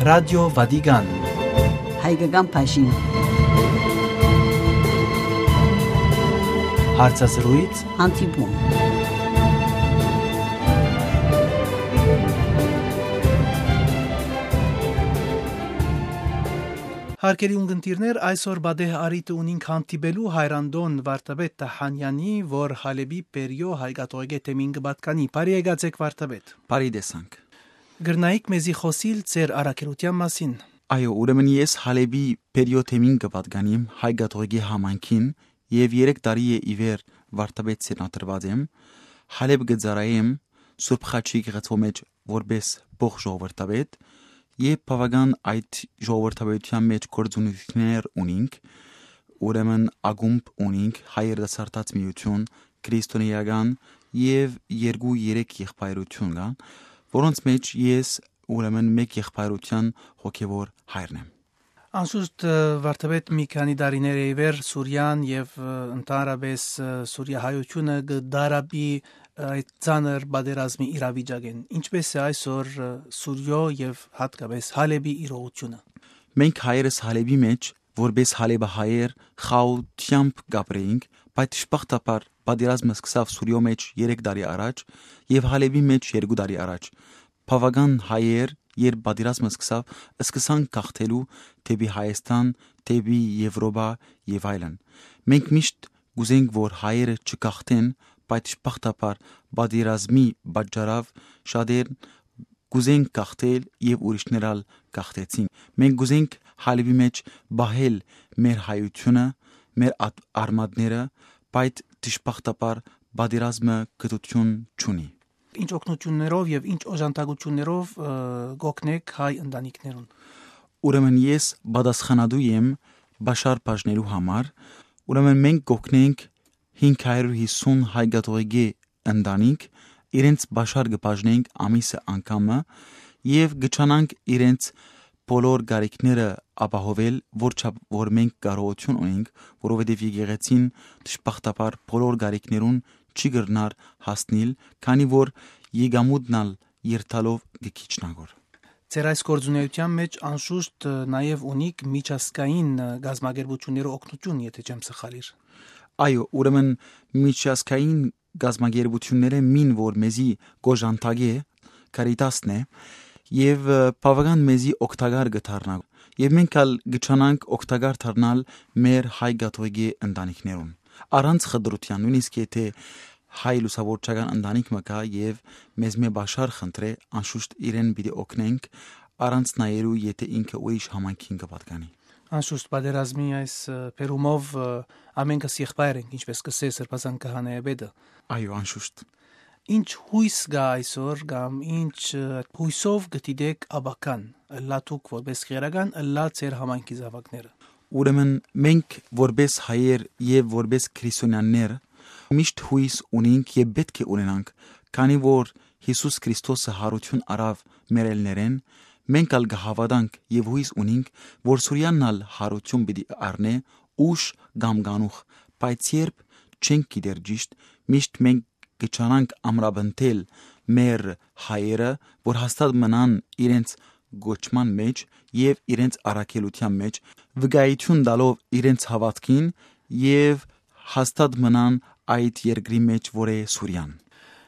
Ռադիո Վատիկան Հայկական փաշին Հարցազրույց Անտիպում Հարկերի ունգընտիրներ այսօր բադեհ արիտը ունինք հանդիպելու հայրանդոն վարտաբետ Տահանյանի, որ Հալեբի պերիո հայկատողեգե թեմին կբատկանի։ Բարի եկացեք վարտաբետ։ Բարի տեսանք։ Գրնայիք մեզի խոսիլ ձեր առաքելության մասին։ Այո, ուրեմն ես Հալեբի պերիո թեմին կբատկանիմ հայկատողեգե համանքին եւ 3 տարի է իվեր վարտաբետ սենատրված եմ։ Հալեբ գծարայեմ Սուրբ Խաչի գեղեցու մեջ որպես բող ժողովրդավետ եւ բավական այդ ժողովրդավետության մեջ կորձունություններ ունենք, ուրեմն ագումբ ունենք հայերդասարտած միություն, քրիստոնեական եւ 2-3 եղբայրություն կան, որոնց մեջ ես ուրեմն մեկ եղբայրության հոգեվոր հայրն եմ։ Անշուշտ վարտաբետ մի քանի տարիներ է իվեր Սուրիան եւ ընդհանրապես Սուրիահայությունը գդարաբի այդ ցաներ բادرազմի իրավիճակեն ինչպես է այսօր Սուրիո եւ հատկապես Հալեբի իրողությունը Մենք հայերս Հալեբի մեջ որպես Հալեբահայեր խաղությամբ գաբրեինք բայց շփախտապար բادرազմը սկսավ Սուրիո մեջ 3 տարի առաջ եւ Հալեբի մեջ 2 տարի առաջ բավական հայեր երբ բادرազմը սկսան գաղթելու դեպի Հայաստան դեպի Եվրոպա եւ այլն մենք միշտ գուզենք որ հայերը չգաղթեն բայց շփախտապար բادرազմի պատճառով շատեր գուզենք գաղթել եւ ուրիշներալ գաղթեցին մենք գուզենք Հալեբի մեջ բահել մեր հայությունը մեր արմատները բայց շփախտապար բادرազմը գտություն չունի Ինչ օգնություններով եւ ինչ օժանդակություններով գոքնեք հայ ընտանիքներուն Ուրեմն ես պատասխանատու եմ Բաշար բաժներու համար ուրեմն մենք գոքնենք 550 հայկատողեգե ընտանիք իրենց Բաշար կբաժնենք ամիսը անգամը եւ գճանանք իրենց բոլոր գարիքները ապահովել որ մենք կարողություն ունենք որովհետեւ եկեղեցին դժբախտաբար բոլոր գարիքներուն չի գրնար հասնել քանի որ եկամուտնալ երթալով գիչնագոր Ձեր այս գործունեության մեջ անշուշտ նաև ունիք միջազգային գազագերբությունների օգնություն, եթե չեմ սխալիր։ Այո, ուրեմն միջազգային գազագերբությունները մին որ մեզի գոժանտագե կարիտասն է եւ բավական մեզի օգտակար գտարնա եւ մենք ալ գճանանք օգտակար դառնալ մեր հայ գաթողիկե ընտանիքներուն առանց խտրության նույնիսկ եթե հայ լուսավորչական ընտանիք մկա եւ մեզ մե Բաշար խնդրե անշուշտ իրեն պիտի օգնենք առանց նայելու եթե ինքը ուրիշ համանքին կպատկանի Անշուշտ բادرազմի այս պերումով ամենքս եղբայր ենք ինչպես կսե սրբազան քահանայապետը Այո անշուշտ Ինչ հույս գա այսօր կամ ինչ հույսով գտիդեք աբական լատուկ որպես քերական լա ծեր համանքի զավակները Ուրեմն մենք որպես հայեր եւ որպես քրիստոնյաներ միշտ հույս ունենք եւ պետք է ունենանք քանի որ Հիսուս Քրիստոսը հարություն արավ մեր ելներեն մենք ալ գհավատանք եւ հույս ունենք որ Սուրյանալ հարություն պիտի առնե ուշ գամգանուխ բայց երբ չենք գիտեր ճիշտ միշտ մենք գճանանք ամրաբնտել մեր հայերը որ հաստատ մնան իրենց գոչման մեջ եւ իրենց առաքելության մեջ վկայություն տալով իրենց հավատքին եւ հաստատ մնան այդ երկրի մեջ որ է Սուրյան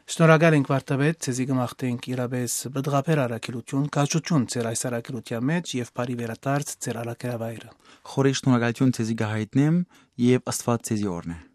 Շնորհակալ ենք վարտաբետ ցեզի գմախտենք իրապես բդղապեր առաքելություն կաչություն ձեր այս առաքելության մեջ եւ բարի վերադարձ ձեր առաքելավայրը Խորի շնորհակալություն ցեզի գահիտնեմ եւ Աստված ցեզի օրհնե